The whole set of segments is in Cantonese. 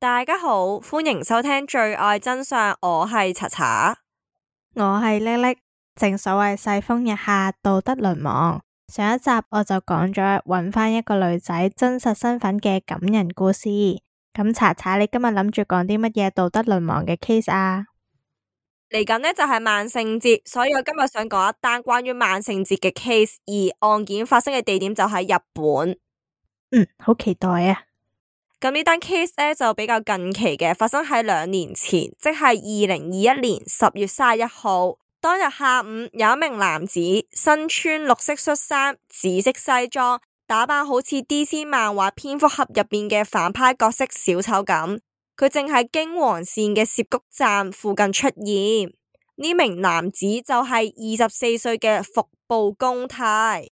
大家好，歡迎收聽罪愛真相，我係查查，我係叻叻。正所謂世風日下，道德淪亡。上一集我就講咗揾返一個女仔真實身份嘅感人故事。咁查查，你今日諗住講啲乜嘢道德淪亡嘅 case 啊？嚟緊呢就係萬聖節，所以我今日想講一單關於萬聖節嘅 case，而案件發生嘅地點就喺日本。好期待啊！咁呢單 case 呢就比較近期嘅，發生喺2年前，即係2021年10月31號。當日下午，有一名男子身穿綠色恤衫、紫色西裝，打扮好似 DC 漫畫蝙蝠俠入邊嘅反派角色小丑咁。佢正喺京王線嘅涉谷站附近出現。呢名男子就係24歲嘅服部恭太。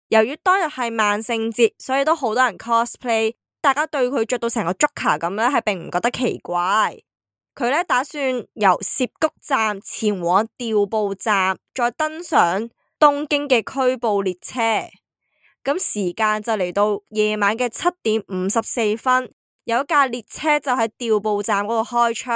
由於當日係萬聖節，所以都好多人 cosplay。大家對佢着到成個 Joker 咁呢，係並唔覺得奇怪。佢呢打算由涉谷站前往調布站，再登上東京嘅區部列車。咁時間就嚟到夜晚嘅7點54分，有一架列車就喺調布站嗰度開出。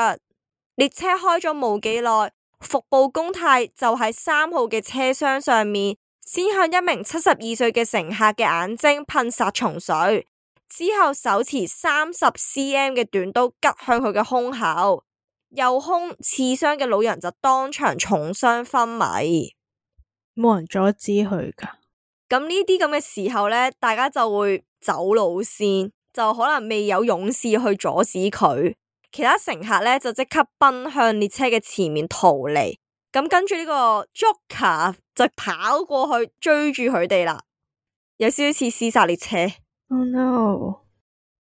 列車開咗冇幾耐，服部恭太就喺3號嘅車廂上面，先向一名72歲嘅乘客嘅眼睛噴殺蟲水。之後手持30cm 嘅短刀拮向佢嘅胸口，右胸刺傷嘅老人就當場重傷昏迷。冇人阻止佢噶。咁呢啲咁嘅時候呢，大家就會走路先，就可能未有勇士去阻止佢。其他乘客呢，就即刻奔向列車嘅前面逃離。咁跟住呢個 Joker 就跑過去追住佢哋啦，有少少似屍殺列車。Oh no！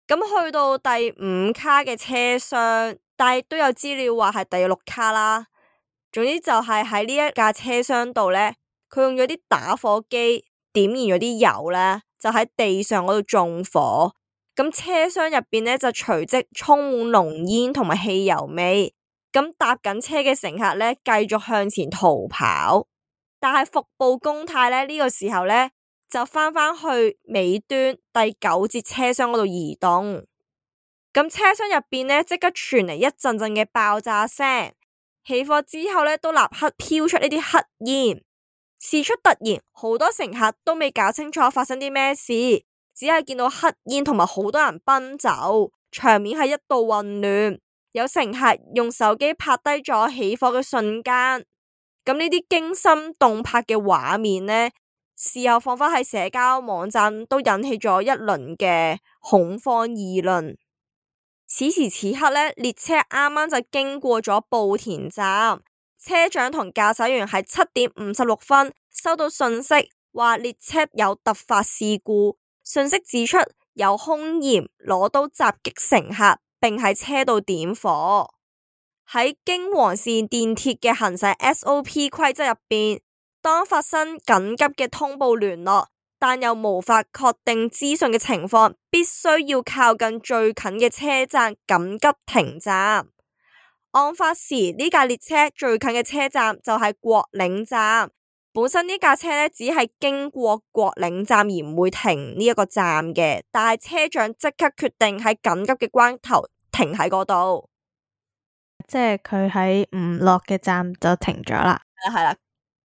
咁去到第5卡嘅車廂，但係都有資料話係第6卡啦。總之就係喺呢一架車廂度呢，佢用咗啲打火機點燃咗啲油呢，就喺地上嗰度縱火。咁車廂入邊呢，就隨即充滿濃煙同埋汽油味。咁搭緊車嘅乘客呢，繼續向前逃跑。但係服部恭太呢，呢個時候呢，就翻返去尾端第9節車廂嗰度移動。咁車廂入邊呢，即刻傳嚟一陣陣嘅爆炸聲。起火之後呢，都立刻飄出呢啲黑煙。事出突然，好多乘客都未搞清楚發生啲咩事，只係見到黑煙同埋好多人奔走，場面係一度混亂。有乘客用手機拍低咗起火嘅瞬間。咁呢啲驚心動魄嘅畫面呢，事後放返喺社交網站都引起咗一輪嘅恐慌議論。此時此刻呢，列車啱啱就經過咗布田站，車長同駕駛員喺7點56分收到訊息，話列車有突發事故。訊息指出有兇嫌攞刀襲擊乘客，並喺車度點火。喺京王線電鐵嘅行駛 SOP 規則入邊，當發生緊急嘅通報聯絡，但又無法確定資訊嘅情況，必須要靠近最近嘅車站緊急停站。案發時呢架列車最近嘅車站就係國領站。本身呢架車呢，只係經過國領站而唔會停呢一個站嘅，但係車長即刻決定喺緊急嘅關頭停喺嗰度。即係佢喺唔落嘅站就停咗啦。係啦。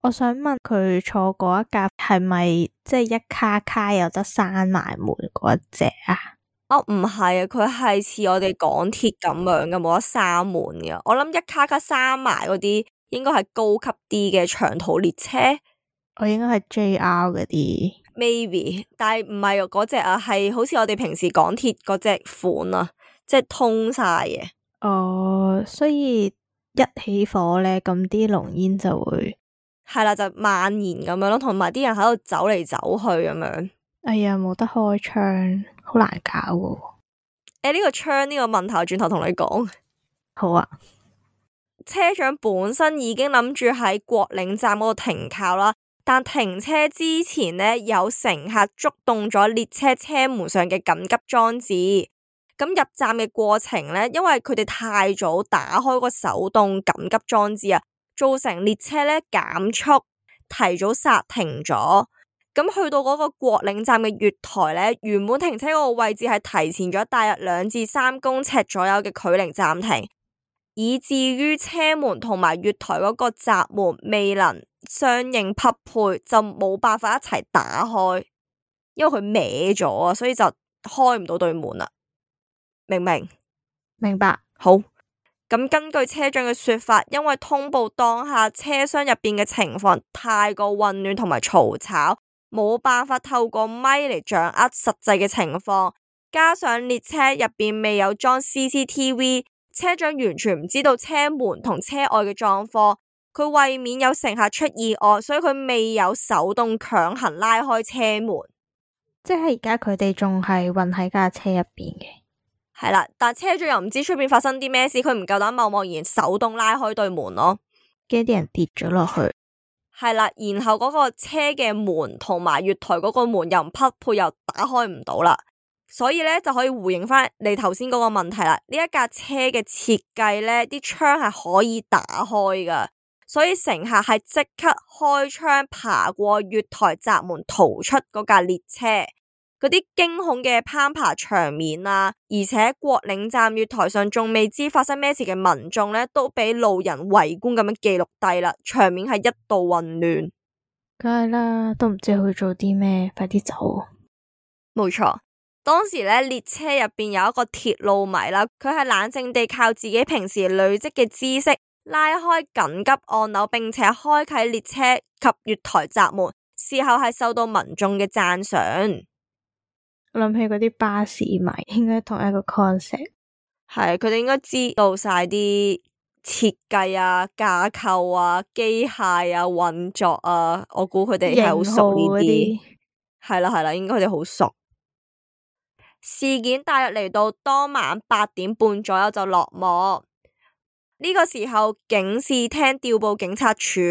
我想問佢坐嗰一架係咪即係一卡卡有得閂埋門嗰隻啊？哦，唔係啊，佢係似我哋港鐵咁樣嘅，冇得閂門嘅。我諗一卡卡閂埋嗰啲應該係高級啲嘅長途列車。我應該係 JR 嗰啲 maybe， 但係唔係嗰隻啊，係好似我哋平時港鐵嗰隻款啊，即係通晒嘅。哦，所以一起火咧，咁啲濃煙就會係啦，就蔓延咁樣咯，同埋啲人喺度走嚟走去咁樣。哎呀，冇得開窗，好難搞喎。呢個窗呢個問題，我轉頭同你講。好啊。車長本身已經諗住喺國領站嗰度停靠啦，但停車之前呢，有乘客觸動咗列車車門上嘅緊急裝置。咁入站嘅過程呢，因為佢哋太早打開個手動緊急裝置啊，造成列車呢減速，提早剎停咗。咁去到嗰個國領站嘅月台呢，原本停車嗰個位置係提前咗大約2至3公尺左右嘅距離暫停，以至於車門同埋月台嗰個閘門未能相應匹配，就冇辦法一齊打開，因為佢歪咗啊，所以就開唔到對門啦。明唔明？明白。好。咁根據車長嘅說法，因為通報當下車廂入邊嘅情況太過混亂同埋嘈吵，冇辦法透過咪嚟掌握實際嘅情況，加上列車入邊未有裝 CCTV， 車長完全唔知道車門同車外嘅狀況。佢為免有乘客出意外，所以佢未有手動強行拉開車門。即係而家佢哋仲係混喺架車入邊嘅。係啦，但車長又唔知出邊發生啲咩事，佢唔夠膽貿然手動拉開對門咯，驚啲人跌咗落去。係啦，然後嗰個車嘅門同埋月台嗰個門又唔匹配，又打開唔到啦，所以咧就可以回應翻你頭先嗰個問題啦。呢一架車嘅設計咧，啲窗係可以打開噶，所以乘客係即刻開窗爬過月台閘門逃出嗰架列車。嗰啲驚恐嘅攀爬場面啊，而且國領站月台上仲未知發生咩事嘅民眾呢，都俾路人圍觀咁樣記錄低啦，場面係一度混亂。梗係啦，都唔知去做啲咩，快啲走。冇錯，當時呢，列車入邊有一個鐵路迷啦，佢係冷靜地靠自己平時累積嘅知識拉開緊急按鈕，並且開啟列車及月台閘門，事後係受到民眾嘅讚賞。我諗起嗰啲巴士迷，應該同一個 concept。係，佢哋應該知道晒啲設計啊、架構啊、機械啊、運作啊，我估佢哋係好熟呢啲。係啦，應該佢哋好熟。事件大約嚟到當晚8點半左右就落幕。呢個時候，警視廳調報警察署、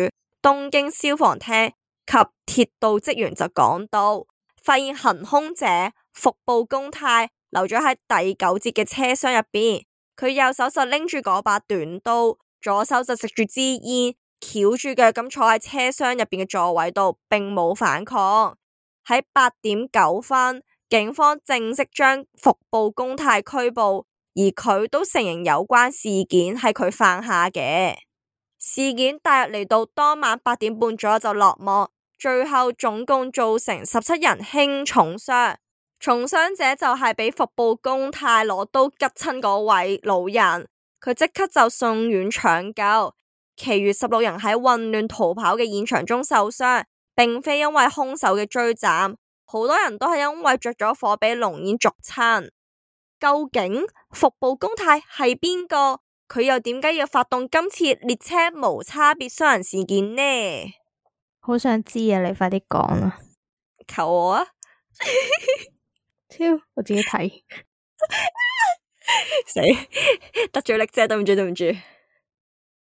東京消防廳及鐵道職員就趕到，發現行兇者服部公太留咗喺第9節嘅車廂入邊，佢右手就拎住嗰把短刀，左手就食住支煙，翹住腳咁坐喺車廂入邊嘅座位度，並冇反抗。喺8點9分，警方正式將服部公太拘捕，而佢都承認有關事件係佢犯下嘅。事件大約嚟到當晚8點半左右就落幕，最後總共造成17人輕重傷。重傷者就係俾服部公太攞刀拮親嗰位老人，佢即刻就送院搶救。其餘16人喺混亂逃跑嘅現場中受傷，並非因為兇手嘅追斬，好多人都係因為着咗火俾濃煙燭親。究竟服部公太係邊個？佢又點解要發動今次列車無差別傷人事件呢？好想知啊！你快啲講啊！求我啊！超，我自己睇。死得罪力啫，對唔住。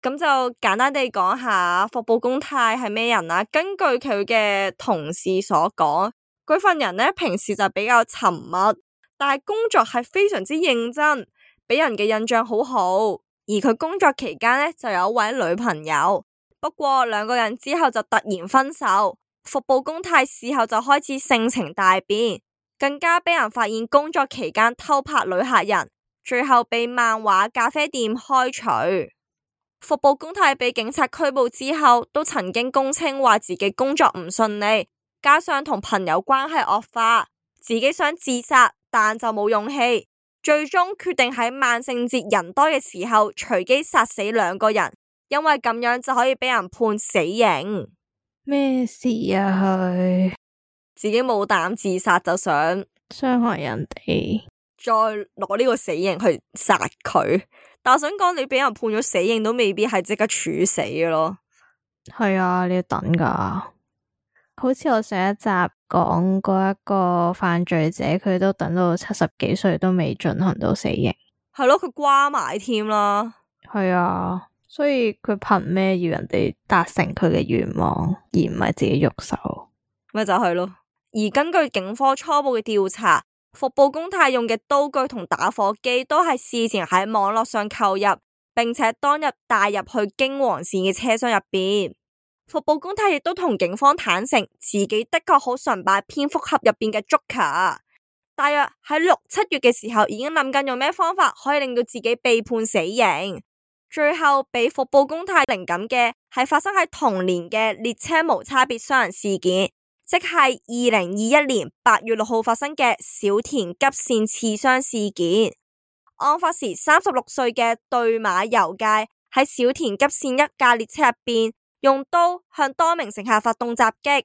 咁就簡單地講下服部公太係咩人啦。根據佢嘅同事所講，佢份人呢平時就比較沉默，但係工作係非常之認真，俾人嘅印象好好。而佢工作期間呢，就有一位女朋友，不過2個人之後就突然分手。服部公太事後就開始性情大變，更加俾人發現工作期間偷拍女客人，最後被漫畫咖啡店開除。服部公太被警察拘捕之後，都曾經供稱話自己工作唔順利，加上同朋友關係惡化，自己想自殺，但就冇勇氣，最終決定喺萬聖節人多嘅時候隨機殺死2個人，因為咁樣就可以俾人判死刑。咩事啊？佢自己冇膽自殺，就想傷害人哋，再攞呢個死刑去殺佢。但我想講，你俾人判咗死刑都未必係即刻處死嘅咯。係啊，你要等噶。好似我上一集講過一個犯罪者，佢都等到70幾歲都未進行到死刑。係咯，佢瓜埋添啦。係啊。所以佢憑咩要人哋達成佢嘅願望，而唔係自己喐手？咪就係咯。而根據警方初步嘅調查，服部公太用嘅刀具同打火機都係事前喺網絡上購入，並且當日帶入去京王線嘅車廂入邊。服部公太亦都同警方坦承，自己的確好崇拜蝙蝠俠入邊嘅 Joker， 大約喺6、7月嘅時候已經諗緊用咩方法可以令到自己被判死刑。最後俾服部公太靈感嘅係發生喺同年嘅列車無差別傷人事件，即係2021年8月6號發生嘅小田急線刺傷事件。案發時36歲嘅對馬由介喺小田急線一架列車入邊用刀向多名乘客發動襲擊，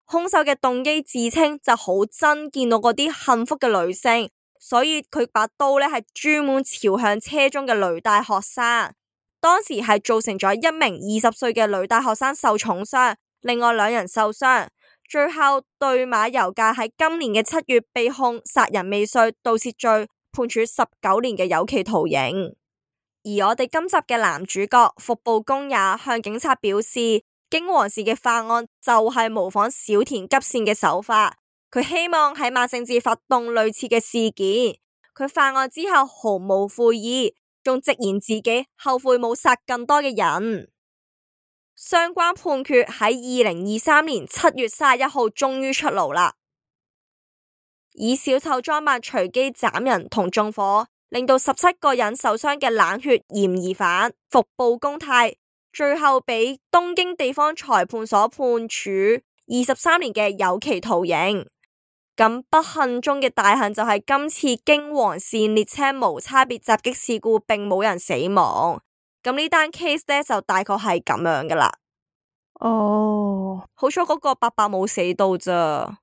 兇手嘅動機自稱就好憎見到嗰啲幸福嘅女性，所以佢把刀呢係專門朝向車中嘅女大學生。當時係造成咗一名20歲嘅女大學生受重傷，另外2人受傷。最後對馬由介喺今年嘅7月被控殺人未遂、盜竊罪，判處19年嘅有期徒刑。而我哋今集嘅男主角服部公也向警察表示，京王氏嘅犯案就係模仿小田急線嘅手法，佢希望喺萬聖節發動類似嘅事件。佢犯案之後毫無悔意，仲直言自己後悔冇殺更多嘅人。相關判決喺2023年7月31號終於出爐啦。以小丑裝扮隨機斬人同縱火，令到17個人受傷嘅冷血嫌疑犯服部公太，最後俾東京地方裁判所判處23年嘅有期徒刑。咁不幸中嘅大幸就係今次京王線列車無差別襲擊事故並冇人死亡。咁呢單 case 呢，就大概係咁樣噶啦。哦，好彩嗰個伯伯冇死到咋。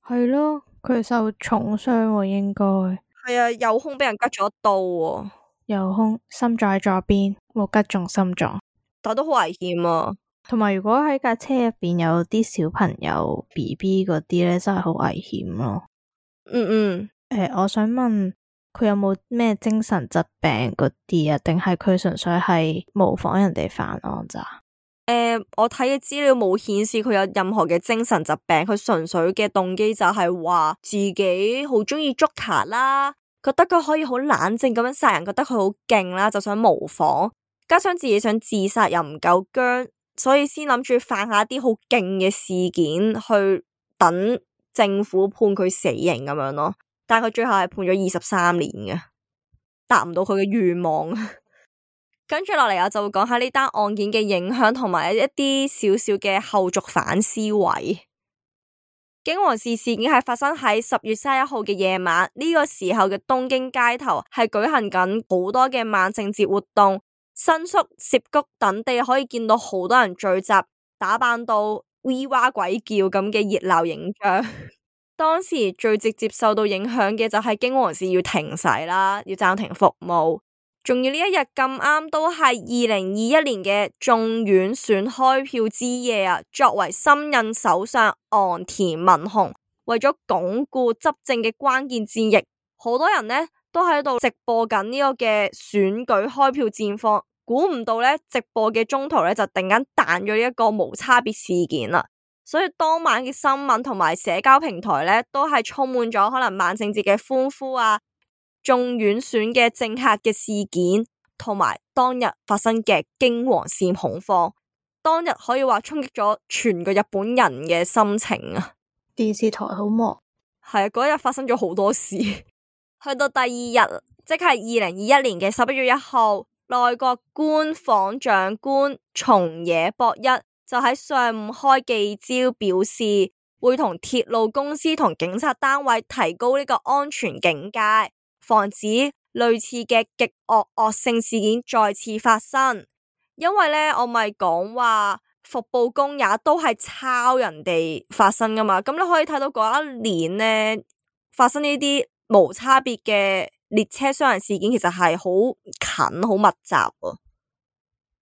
係咯，佢受重傷喎，應該係啊，右胸俾人拮咗一刀喎。右胸，心臟喺左邊，冇拮中心臟，但都好危險啊。同埋如果喺架車入邊有啲小朋友 BB 嗰啲咧，真係好危險咯。我想問佢有冇咩精神疾病嗰啲啊？定係佢純粹係模仿人哋犯案咋？我睇嘅資料冇顯示佢有任何嘅精神疾病，佢純粹嘅動機就係話自己好中意 Joker 啦，覺得佢可以好冷靜咁樣殺人，覺得佢好勁啦，就想模仿，加上自己想自殺又唔夠薑，所以先諗住犯下一啲好勁嘅事件去等政府判佢死刑咁樣咯。但係佢最後係判咗23年嘅，達唔到佢嘅願望。跟住落嚟，我就會講下呢單案件嘅影響同埋一啲少少嘅後續反思位。京王氏事件係發生喺10月31號嘅夜晚，呢個時候嘅東京街頭係舉行緊好多嘅萬聖節活動，新宿、澀谷等地可以見到好多人聚集，打扮到 V 哇鬼叫咁嘅熱鬧影像。當時最直接受到影響嘅就係京王氏要停駛啦，要暫停服務。仲要呢一日咁啱都係2021年嘅眾院選開票之夜啊！作為新任首相岸田文雄，為咗鞏固執政嘅關鍵戰役，好多人呢都喺度直播緊呢個嘅選舉開票戰況。估唔到呢，直播嘅中途呢就突然間彈咗一個無差別事件啦。所以當晚嘅新聞同埋社交平台呢，都係充滿咗可能萬聖節嘅歡呼啊！眾院選嘅政客嘅事件，同埋當日發生嘅京王線恐慌，當日可以話衝擊咗全個日本人嘅心情啊！電視台好忙，係啊，嗰日發生咗好多事。去到第2日，即係2021年嘅11月1號，內閣官房長官松野博一就喺上午開記招，表示會同鐵路公司同警察單位提高呢個安全警戒，防止類似嘅極惡性事件再次發生。因為呢，我咪講話服部公也都係抄人哋發生噶嘛，咁你可以睇到嗰一年呢，發生呢啲無差別嘅列車傷人事件，其實係好近好密集啊。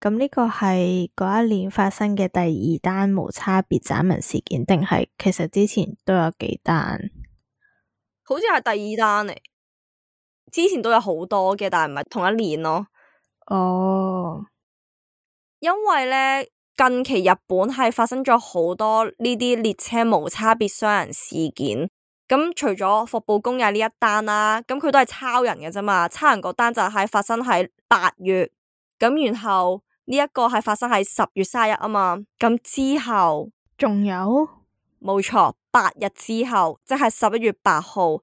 咁呢個係嗰一年發生嘅第2單無差別斬人事件，定係其實之前都有幾單？好似係第2單嚟。之前都有好多嘅，但係唔係同一年咯。哦，因為呢，近期日本係發生咗好多呢啲列車無差別傷人事件。咁除咗服部公也呢一單啦，咁佢都係抄人嘅啫嘛。抄人嗰單就係發生喺8月，咁然後呢一個係發生喺10月31日啊嘛。咁之後仲有，冇錯，8日之後，即係11月8號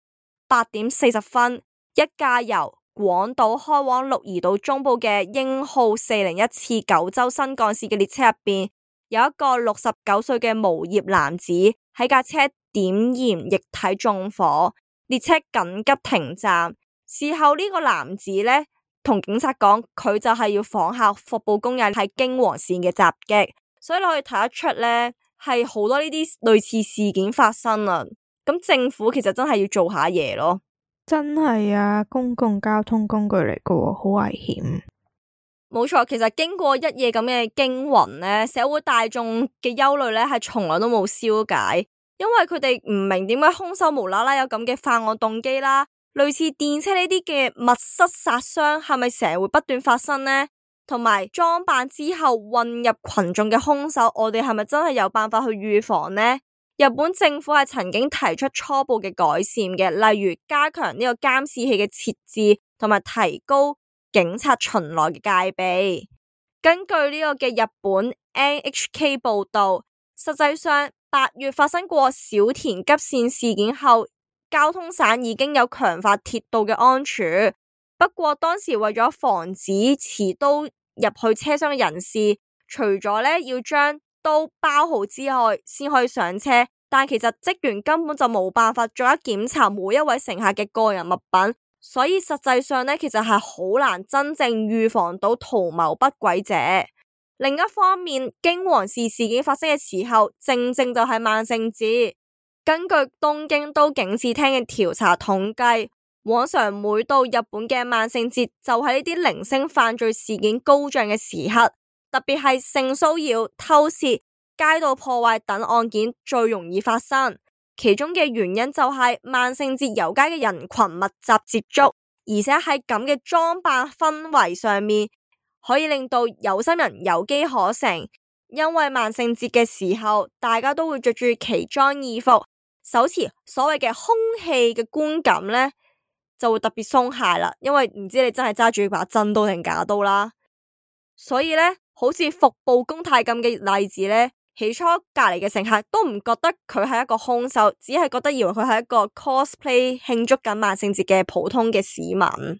8點40分，一架由廣島開往鹿兒島中部嘅鷹號401次九州新幹線嘅列車入邊，有一個69歲嘅無業男子喺架車點燃液體縱火，列車緊急停站。事後呢個男子呢，同警察講，佢就係要仿效服部公也喺京王線嘅襲擊，所以你可以睇得出呢，係好多呢啲類似事件發生啊。咁政府其實真係要做下嘢咯。真係啊，公共交通工具嚟㗎，好危險。冇錯，其實經過一夜咁嘅驚魂呢，社會大眾嘅憂慮呢係從來都冇消解，因為佢哋唔明點解兇手無啦啦有咁嘅犯案動機啦。類似電車呢啲嘅密室殺傷係咪成日會不斷發生呢？同埋裝扮之後混入群眾嘅兇手，我哋係咪真係有辦法去預防呢？日本政府係曾經提出初步嘅改善嘅，例如加強呢個監視器嘅設置，同埋提高警察巡邏嘅戒備。根據呢個嘅日本 NHK 報道，實際上8月發生過小田急線事件後，交通省已經有強化鐵道嘅安全。不過當時為咗防止持刀入去車廂嘅人士，除咗呢要將刀包好之外，先可以上車。但其實職員根本就冇辦法逐一檢查每一位乘客嘅個人物品，所以實際上呢，其實係好難真正預防到圖謀不軌者。另一方面，京王線事件發生嘅時候，正正就係萬聖節。根據東京都警視廳嘅調查統計，往常每到日本嘅萬聖節，就係呢啲零星犯罪事件高漲嘅時刻，特別係性騷擾、偷竊、街道破壞等案件最容易發生。其中嘅原因就係萬聖節遊街嘅人群密集接觸，而且喺咁嘅裝扮氛圍上面，可以令到有心人有機可乘。因為萬聖節嘅時候，大家都會着住奇裝異服，手持所謂嘅凶器嘅觀感呢，就會特別鬆懈啦。因為唔知你真係揸住把真刀定假刀啦。所以呢，好似服部公太咁嘅例子呢，起初隔籬嘅乘客都唔覺得佢係一個兇手，只係覺得以為佢係一個 cosplay 慶祝緊萬聖節嘅普通嘅市民。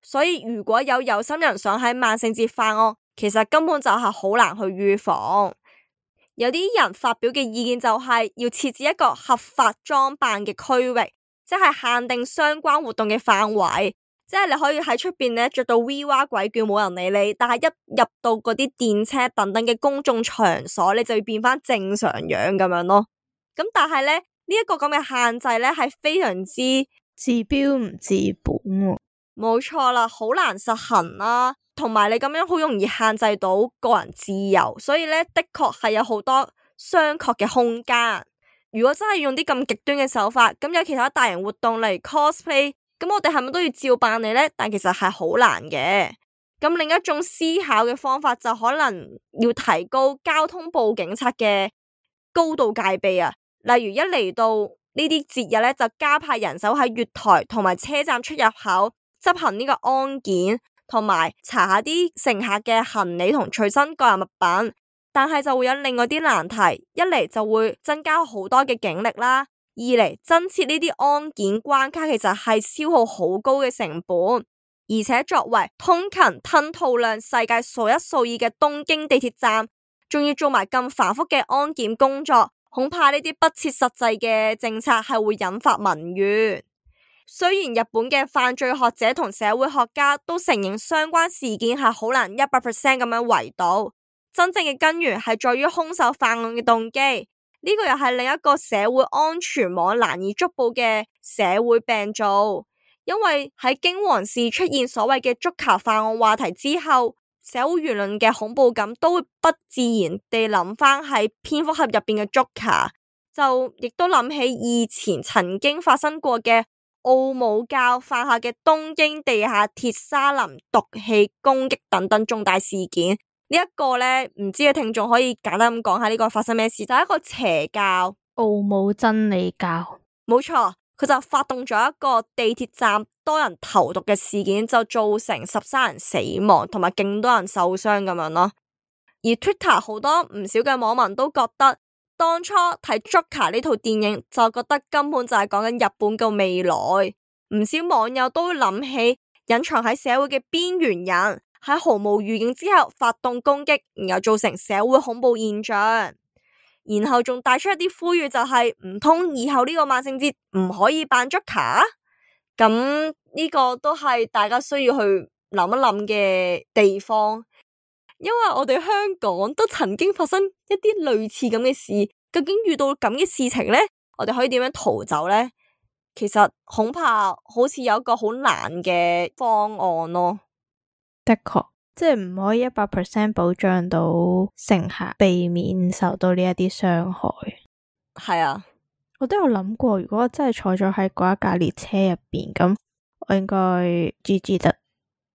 所以如果有心人想喺萬聖節犯案，其實根本就係好難去預防。有啲人發表嘅意見就係要設置一個合法裝扮嘅區域，即係限定相關活動嘅範圍，即係你可以喺出邊呢着到 V 哇鬼叫冇人理你，但係一入到嗰啲電車等等嘅公眾場所，你就要變翻正常樣咁樣咯。咁但係呢，呢一個咁嘅限制呢，係非常之治標唔治本喎。冇錯啦，好難實行啦，同埋你咁樣好容易限制到個人自由，所以呢，的確係有好多商榷嘅空間。如果真係用啲咁極端嘅手法，咁有其他大型活動例如 cosplay， 咁我哋係咪都要照辦你呢？但其實係好難嘅。咁另一種思考嘅方法就可能要提高交通部警察嘅高度戒備啊，例如一嚟到呢啲節日呢，就加派人手喺月台同埋車站出入口執行呢個安檢，同埋查下啲乘客嘅行李同隨身個人物品。但係就會有另外啲難題，一嚟就會增加好多嘅警力啦，二嚟增設呢啲安檢關卡其實係消耗好高嘅成本，而且作為通勤吞吐量世界數一數二嘅東京地鐵站，仲要做埋咁繁複嘅安檢工作，恐怕呢啲不切實際嘅政策係會引發民怨。雖然日本嘅犯罪學者同社會學家都承認相關事件係好難100% 咁樣圍堵，真正嘅根源係在於兇手犯案嘅動機。呢個又係另一個社會安全網難以捉捕嘅社會病灶。因為喺京王線出現所謂嘅足球犯案話題之後，社會輿論嘅恐怖感都會不自然地諗翻喺蝙蝠俠入邊嘅足球，就亦都諗起以前曾經發生過嘅奧姆教犯下嘅東京地下鐵沙林毒氣攻擊等等重大事件。呢一個呢，唔知嘅聽眾可以簡單咁講下呢個發生咩事，就係一個邪教，奧姆真理教。冇錯，佢就發動咗一個地鐵站多人投毒嘅事件，就造成13人死亡同埋勁多人受傷咁樣咯。而 Twitter 好多唔少嘅網民都覺得，當初睇 Joker 呢套電影就覺得根本就係講緊日本嘅未來。唔少網友都諗起隱藏喺社會嘅邊緣人喺毫無預警之後發動攻擊，然後造成社會恐怖現象。然後仲帶出一啲呼籲，就係唔通以後呢個萬聖節唔可以扮 Joker？ 咁呢個都係大家需要去諗一諗嘅地方，因為我哋香港都曾經發生一啲類似咁嘅事。究竟遇到咁嘅事情呢，我哋可以點樣逃走呢？其實恐怕好似有一個好難嘅方案咯。的確。即係唔可以100% 保障到乘客避免受到呢一啲傷害。係啊，我都有諗過，如果我真係坐咗喺嗰一架列車入邊，咁我應該 GG 得。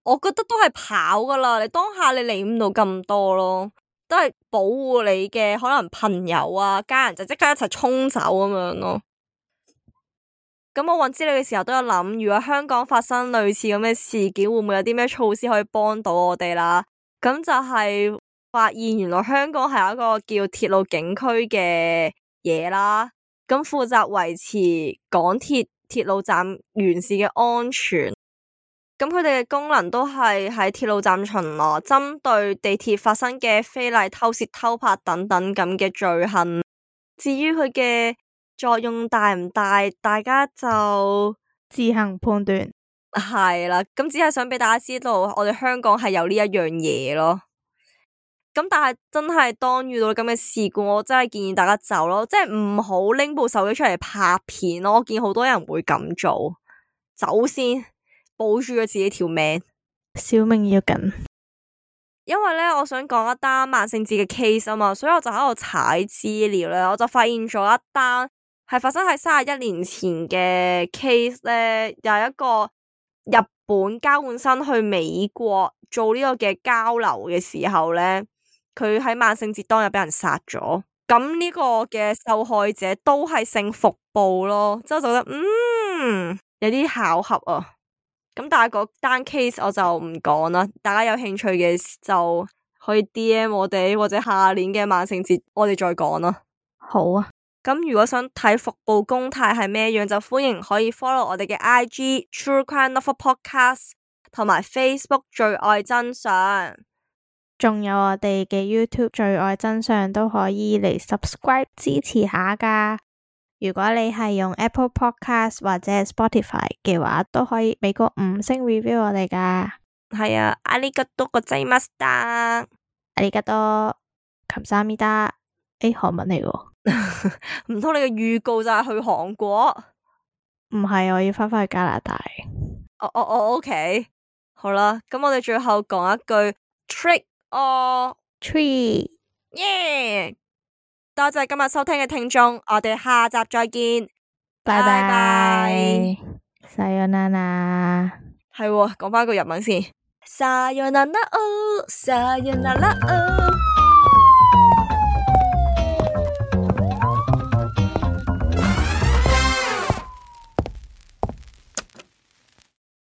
我覺得都係跑噶啦，你當下你理唔到咁多咯，都係保護你嘅可能朋友啊、家人，就即刻一齊衝走咁樣咯。咁我搵資料嘅時候都有諗，如果香港發生類似咁嘅事件，會唔會有啲咩措施可以幫到我哋啦？咁就係發現原來香港係有一個叫鐵路警區嘅嘢啦，咁負責維持港鐵鐵路站完善嘅安全。咁佢哋嘅功能都係喺鐵路站巡邏，針對地鐵發生嘅非禮、偷竊、偷拍等等咁嘅罪行。至於佢嘅作用大唔大，大家就自行判斷。係啦，咁只係想俾大家知道，我哋香港係有呢一樣嘢咯。咁但係真係當遇到咁嘅事故，我真係建議大家走咯，即係唔好拎部手機出嚟拍片咯。我見好多人會咁做，走先，保住咗自己條命，小命要緊。因為咧，我想講一單萬聖節嘅 case 啊嘛，所以我就喺度踩資料咧，我就發現咗一單係發生喺31年前嘅 case 咧，有一個日本交換生去美國做呢個嘅交流嘅時候咧，佢喺萬聖節當日俾人殺咗。咁呢個嘅受害者都係姓服部咯，之後就覺得有啲巧合啊。咁但係嗰單 case 我就唔講啦，大家有興趣嘅就可以 DM 我哋，或者下年嘅萬聖節我哋再講啦。好啊，咁如果想睇服部公態係咩樣，就歡迎可以 follow 我哋嘅 IG True Crime Lover Podcast 同埋 Facebook 最愛真相，仲有我哋嘅 YouTube 最愛真相都可以嚟 subscribe 支持下噶。如果你係用 Apple Podcast 或者 Spotify 嘅話，都可以俾個5星 review 我哋噶。係啊，ありがとうございました。ありがとう。감사합니다。韓文嚟喎。唔通你嘅預告就係去韓國？唔係，我要翻返去加拿大。OK。好啦，咁我哋最後講一句 trick or treat。耶！多謝今日收聽嘅聽眾，我哋下集再見，拜拜。さよなら。係喎，講翻個日文先。さよなら哦，さよなら哦。